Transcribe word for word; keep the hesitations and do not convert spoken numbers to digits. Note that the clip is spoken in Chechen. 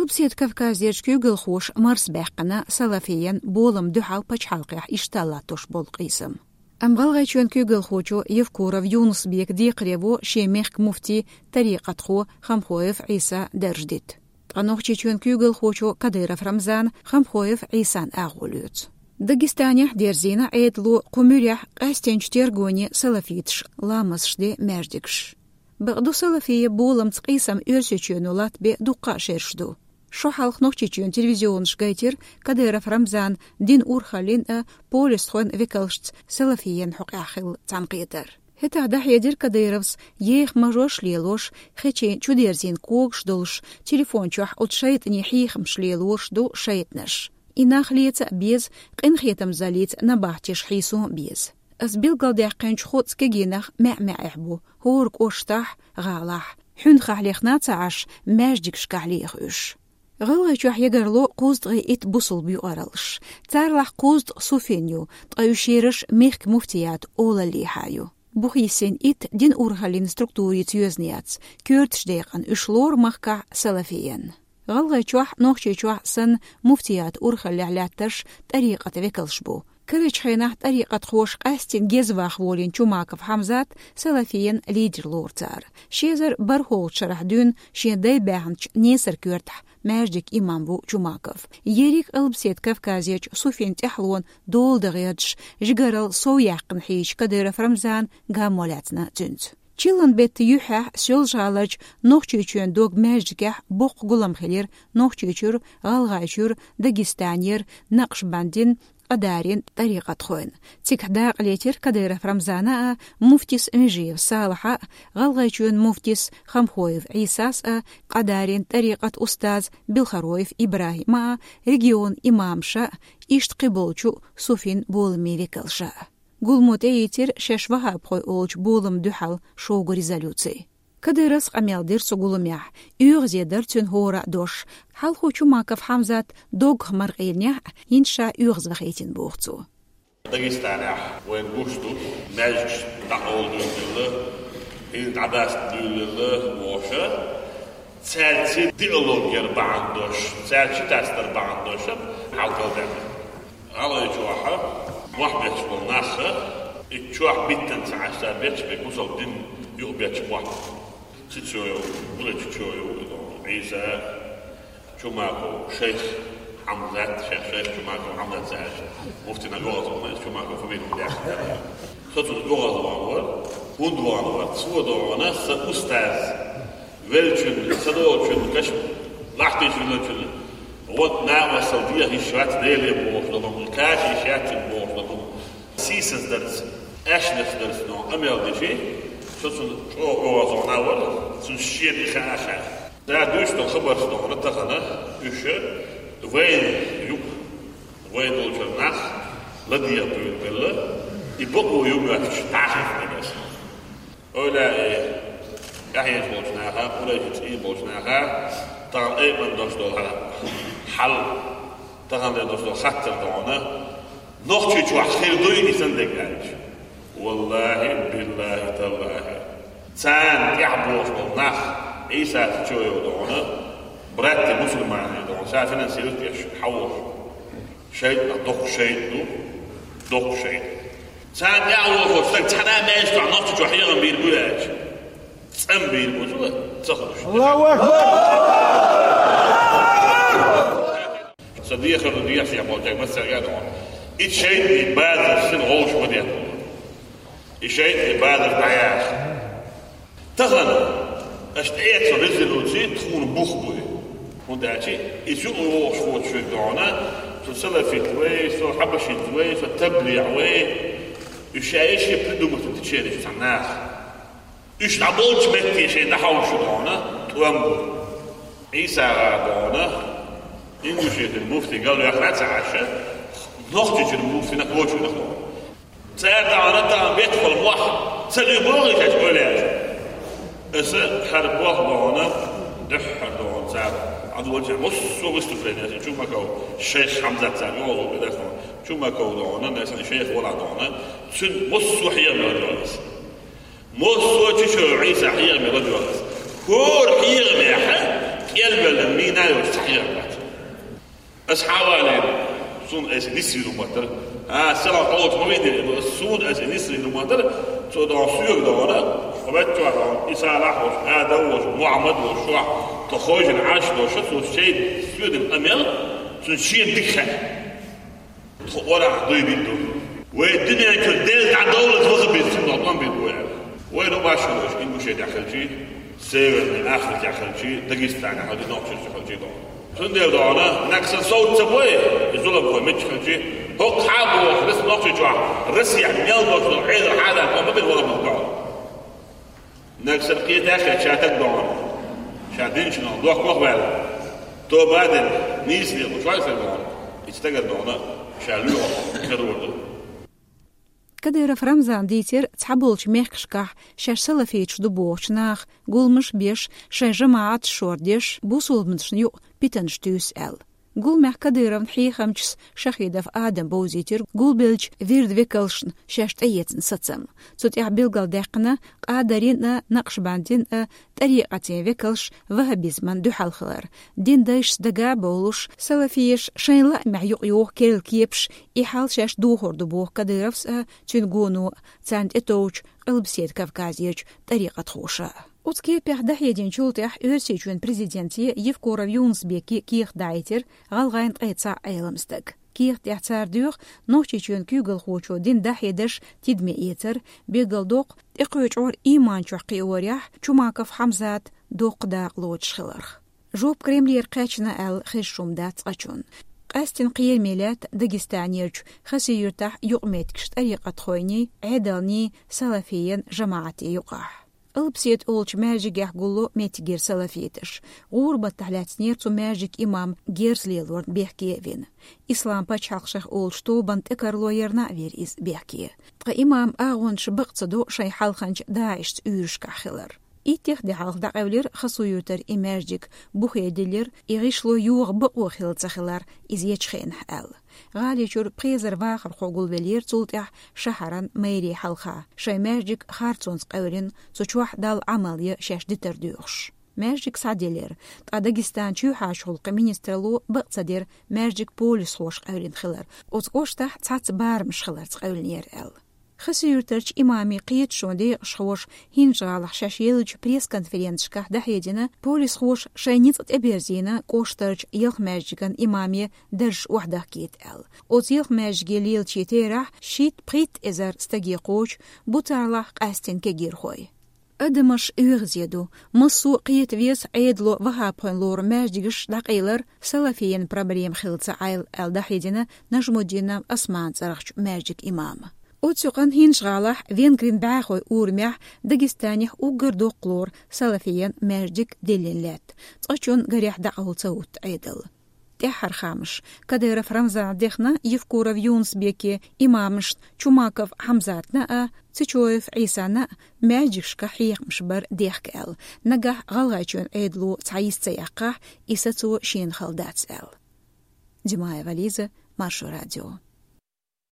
Къилбаседа Кавказерчу куьйгалхоша марсабаьккхина салафиен болам дуьхьал пачхьалкхехь иштта латтош болу къийсам. Амма ГӀалгӀайчоьнан куьйгалхочо Евкуров Юнус-Бека декхаре во шен мехкан муфти, тарикъатхо Хамхоев Ӏийса дарж дита. Ткъа Нохчийчоьнан куьйгалхочо Кадыров Рамзана Хамхоев Ӏийсан агӀо лоьцу. Дагестанехь дерзийна Ӏедало кху муьрехь къаьстинчу тергоне салафиташа ламазаш де маьждигаш. Бакъду, салафия боламца къийсам Оьрсийчоьно латтабе дуккха а шераш ду. Шо хьалха Нохчийчоьнан телевизионаша гайтира Кадыров Рамзана динан урхаллин а, полисхойн векалшца салафиен хьокъехь хилла цхьаьнакхетар. ХӀетахь дӀахьедира Кадыровс, еха мажош лелош, хечийн чудерзийна когаш долуш, телефон чохь оцу шайтӀанийн хьехамаш лелораш ду шайтӀанаш. И нах леца а беза, къинхетамзаллица набахтеш хьийсо а беза. Ас билгалдаьккхинчу кху цу кегийнах маьӀ-маьӀехь бу, хӀора кӀоштахь, гӀалахь. Хьуьнхахь лехна а ца Ӏаш, маьждигашкахь леха уьш. ГӀалгӀайчохь ягарло кхузткъе итт бусулба юкъараллаш. Царалахь кхузткъа суфин ю, ткъа уьш ераш мехкан муфтиятан олаллехьа ю. Бухийсин итт динан урхаллин структурица йоьзна яц, коьртачу декъана уьш лору махкахь салафиен. ГӀалгӀайчохь, Нохчийчохь санна, муфтиятан урхаллехь лаьттарш тӀарикъатан векалш бу. Карарчу хенахь тӀарикъатхоша къаьстина геза ваха волийна Чумаков Хьамзат салафиен лидер лору цара. Ши эзар бархӀолгӀачу шарахь дуьйна шен дай баьхначу Несар коьртахь маьждиг имам ву Чумаков. Ерриг а Къилбаседа Кавказерчу суфин тӀаьхьалонан дола дан гӀерташ, жигаралла сов яьккхина хьийзачу Кадыров Рамзана гамо лаьцна цуьнца. Чиллан беттан юьххьехь Соьлжа-ГӀаларчу Нохчийчоьнан дог маьждигехь боккха гулам хилира Нохчийчуьра, ГӀалгӀайчуьра, Дагестанера, Накъшбандин, Къадарин тӀарикъатхойн. Цигахь дакъа летира Кадыров Рамзана а, муфтис Межиев Салахьа а, ГӀалгӀайчоьнан муфтис Хамхоев Ӏийсас а, Къадарин тӀарикъатан устаз Билхароев ИбрахӀима а, регионан имамаша а, иштта кхиболчу суфин боламийн векалша а. Гуламо тӀеийцира шаьш ваххабхой олучу боламна дуьхьал шогу резолюци. Кадыровс къамел дира цу гуламехь, оьгӀазе дара цуьнан хӀора а дош. Хьалхо Чумаков Хьамзат доггах маркъийнехь а, хӀинца ша оьгӀазвахийтина боху цо. Дагестанехь вайна гуш ду, маьждигаш дӀакъовла дуьйлалла, хӀинца дӀадаста дуьйлалла бохуш, цаьрца диалог яр бахьана долуш, цаьрца ши тасдар бахьана долуш хьалкхалдаьлла. ГӀалгӀайчохь мохь бетташ болу нах, и чохь биттина ца Ӏаш, цара бетташ берг бусалба дин юкъа бетташ мохь. Цицоев, Булачичоев, Ӏийса, Чумаков шайх Хьамзат, шайх, шайх Чумаков Хьамзат цаьрца муфтина оьгӀазвахана, Чумаков фамилия даьхна. Со цунна оьгӀазвахана вара, хӀунда вахана вара, цо дохана сан устаз веллачун, сан долчун, каш лахтийчун веллачун, вот накъостал деха йиш яц, Деле бохуш долу, кхача йиш яц бохуш долу. Сийсаздарца, аьшнашдарца но къамел дичи, со цунна чӀогӀа оьгӀазвахана вара, цунна шена и хаа а хаьа. Ша дуьйцу долу хабарш дохана тахана, уьш вайн юкъа, вайн долчуьра нах ладегӀа дуьйна белла, и бакъо ю моьттуш дӀахаьхна аса. Ойла а, тӀаьхьенаш болчу наха, къурайши цӀий болчу наха, тахана айъан долуш долу хьал, тахана долуш долу хаттар дохана, Нохчийчохь хир дуй и сан дерг аьлча. Валлахи, биллахи, таллахи. Царна тӀаьхьа бохуш болу нах, Ӏийса Чичоев дохана, братья мусульмане дохана, ша финансирует деш, хьаволуш. ШайтӀа доккха шайтӀа ду, доккха шайтӀа. Царна тӀаьхьа вохуш стаг цхьана а маьждиг чохь, Нохчийчохь хьехам бийр бу аьлча, цӀан бийр бу цо, ца хууш. Аллаху акбар! Сан дехар ду, дехар болчаьрга массаьрга а доху. И шайтӀан базар сина гӀовш ма деху. И шайтӀан базар дӀаяха. Тахана аша тӀеэцна резолюци тхуна бух бу и. ХӀунда аьлча иза юкъа вогӀуш воцу шуьга дохана, со салафит вай, со хьабашит вай, со таблигӀ вай. Уьш ша эшши придумать дичераш цхьа наха. Уьш дӀаболчу метте шайн дӀахьовшу дохана, тӀом бу. Ӏийса гӀа дохана, Ингушетин муфти галваьхна ца Ӏаш, Нохчийчуьра муфтина кочуьнах дохана. Цара тахана, тахана беттахула мохь ца дуьйбоху иза аьлча, ойла яц. Аса хӀара боху дохана, дуьххьара дохана цара. Ӏадволча массо а выступление, Чумаков, шайх Хьамзат цара йолу бедархо. Чумаков дохана, насан шайх вала дохана. Цуьнан массо а хьехам ладоьгӀна аса. Массо а Чичоев Ӏийса хьехам ладоьгӀна аса. ХӀора хьехамехь Элбелла мина йолуш цхьа хьехар дац. Ас хьавалийна, суна аса нисвина мотар. А, села хьоцу ма вийдира, ас суна аса нисвина мотар. Цо дон соьга дона, хьо ваьччохь дона, Иса лахь волуш, Адам волуш, Мухьаммад волуш, шохь, тхо хойшина Ӏаш долуш, цо шайн соьдина къамел, цуьнан шена дика хаьа. Тхо орахь дуй битта ду. Вай дуьнен чуьра Делан тӀе довлаза ваха беза, цуьнан къам битта вай. Вайна башхалаш, Ингушетехь хилчий, Северный Африкехь хилчий, Дагестанехь хилчий, Нохчийчохь хилчий доху. Цундела дохуна, нагахь сан совца ца бой, и зуламхой мичча хилчий, хӀокху хьан боху, рас Нохчийчохь, Россехь мел долчу Ӏедал хьадан къам ма бир вала ма боху. Нагахь сан кхетахь а ша таг дохуна, ша динчунах дохкох ваьлла. Тоба а дина, нийса лелуш вай сан дохуна, и стагана дохуна, ша лоьхуш хир ву ду. Кадыров Рамзана дийцира цхьаболчу мехкашкахь шаьш салафиташ ду бохучу наха гуламаш беш, шайн жамаӀаташ шордеш, бусулбанашна юкъа питанаш туьйсу аьлла. Гуламехь Кадыровн хьехамчас Шахидов Адам бовзийтира гулбеллачу вирдан векалшна шаьш тӀеэцна сацам. Цу тӀехь билгалдаьккхина Къадарин а, Накъшбандин а тӀарикъатийн векалш ваххабизман дуьхьал хилар. Дин дайшца дага а бовлуш, салафеш шайн лаамехь юкъайоху керла кепаш, и хьал шаьш дохур ду боху Кадыровс а, цуьнан гоно а, царна тӀетовжучу Къилбаседа Кавказерчу тӀарикъатхоша а. Оцу кепех дӀахьединчул тӀаьхьа Оьрсийчоьнан президенте Евкуров Юнус-Беке кехат дахьийтира гӀалгӀайн ткъе цхьаъ Ӏелам стаг. Кехат тӀехь цара доьху Нохчийчоьнан куьйгалхочо дин дӀахьедарш тидаме эцар, билгалдоккху тӀекхуьучу гӀор ийман чохь кхиорехь Чумаков Хьамзат доккха дакъа лоцуш хиларх. Жоп Кремлера кхаьчна аьлла хезаш хӀума дац цкъачунна. Къаьсттина кхераме лаьтта Дагестанерчу Хасавюртахь юкъаметтигаш тӀарикъатхойний, Ӏедалний, салафийн жамаӀатийн юкъахь. Къилбаседа олучу маьждигехь гулло меттигера салафиташ. ГӀуран баттахь лаьцнера цу маьждиган имам герз лелорна бехке а вина. Ислам пачхьалкх шех олучу тобанна тӀекарло ярна а вира иза бехке. Ткъа имаман агӀончаш бакъ ца до шайн хьалханчу ДАИШца уьйрашкахь хилар. Иттех де хьалха дӀакъевлира Хасавюртара и маьждиг, бухе диллира, и гӀишло йоха бакъо хилла ца хилар иза ечу хенахь аьлла. ГӀали чуьра пхи эзар вахархо гулвеллера цул тӀаьхьа шахьаран мэрин хьалха, шайн маьждиг харцонца къевлина, цу чохь Далла Ӏамал ян шаьш дитар доьхуш. Маьждиг схьадиллира, ткъа Дагестанан чоьхьарчу гӀуллакхийн министралло бакъ ца дира маьждиг полисхоша къевлина хилар, оцу кӀоштахь цхьацца барамаш хиларца къевлинера аьлла. Хасавюртарчу имамийн кхеташонан декъашхоша ХӀинжа-ГӀалахь шаьш еллачу пресс-конференцешкахь дӀахьедина, полисхоша шайн ницкъ тӀеберзийна кӀоштарчу ялх маьждиган имаме даржаш охьадахкийта аьлла. Оцу ялх маьждиге лелачийн терахь шийтта-пхийтта эзар стаге кхочу, бу царлахь къаьсттина кегийрхой. Адамаш оьгӀазе ду, массо а кхета веза Ӏедало ваххабхойн лору маьждигаш дӀакъайлар салафийн проблема хилла ца Ӏайла аьлла дӀахьедина Нажмуддинов Османан цӀарахчу маьждиган имама. Оцу юкъанна ХӀинжа-ГӀалахь Венгрин бӀаьхойн урамехь Дагестанехь уггар доккха лору салафийн маьждиг диллина лаьтта, цкъачунна гарехь дӀакъовла ца хӀутту Ӏедал. ТӀаьххьара хаамаш. Кадыров Рамзана дехна Евкуров Юнус-Беке имамашна Чумаков Хьамзатна а, Цечоев Ӏийсана а маьждигашкахь хьехамаш бар дехка аьлла, нагахь ГӀалгӀайчоьнан Ӏедало цхьа йист ца яьккхахь, и сацо шена хала дац аьлла. Димаева Лиза, Маршо радио.